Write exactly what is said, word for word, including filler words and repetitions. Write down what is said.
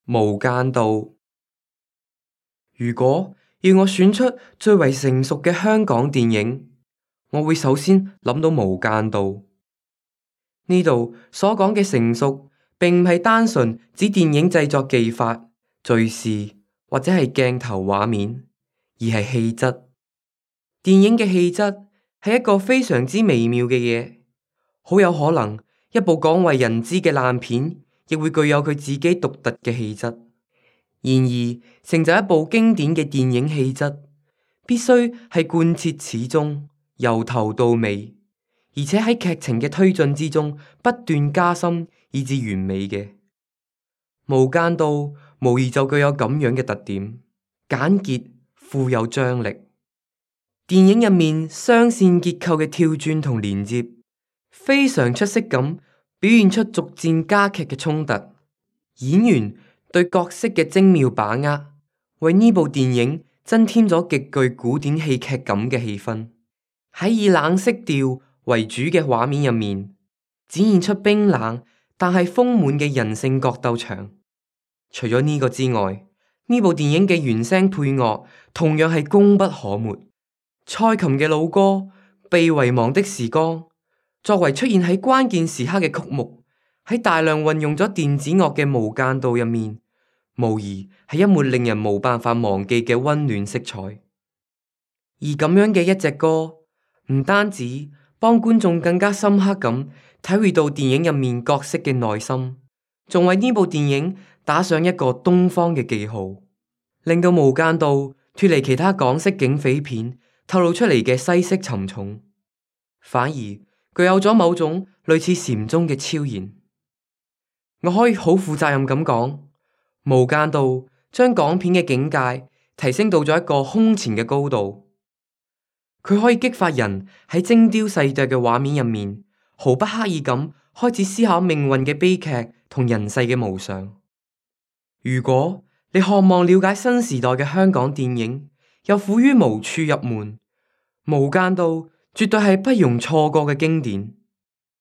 無間道。如果要我選出最為成熟嘅香港電影，我會首先諗到無間道。呢度所講嘅成熟，並唔係單純指電影製作技法、敘事或者係鏡頭畫面，而係氣質。電影嘅氣質係一個非常之微妙嘅嘢，好有可能一部廣為人知嘅爛片，亦會具有佢自己獨特嘅氣質。然而，成就一部經典嘅電影氣質，必須係貫徹始終，由頭到尾，而且喺劇情嘅推進之中不斷加深，以至完美嘅。無間道無疑就具有咁樣嘅特點，簡潔富有張力。電影入面雙線結構嘅跳轉同連接，非常出色咁表現出逐漸加劇嘅衝突。演員對角色嘅精妙把握，為呢部電影增添咗極具古典戲劇感嘅氣氛。喺以冷色調為主嘅畫面入面，展現出冰冷但係豐滿嘅人性角鬥場。除咗呢個之外，呢部電影嘅原聲配樂同樣係功不可沒。蔡琴嘅老歌《被遺忘的時光》，作為出現喺關鍵時刻嘅曲目，喺大量運用咗電子樂嘅無間道入面，無疑係一抹令人冇辦法忘記嘅溫暖色彩。而咁樣嘅一隻歌，唔單止幫觀眾更加深刻咁體會到電影入面角色嘅內心，仲為呢部電影打上一個東方嘅記號，令到無間道脫離其他港式警匪片透露出嚟嘅西式沉重，反而具有咗某種類似禪宗嘅超然。我可以好負責任咁講，無間道將港片嘅境界提升到咗一個空前嘅高度。佢可以激發人喺精雕細琢嘅畫面入面，毫不刻意咁開始思考命運嘅悲劇同人世嘅無常。如果你渴望了解新時代嘅香港電影，又苦於無處入門，無間道絕對係不容錯過嘅經典。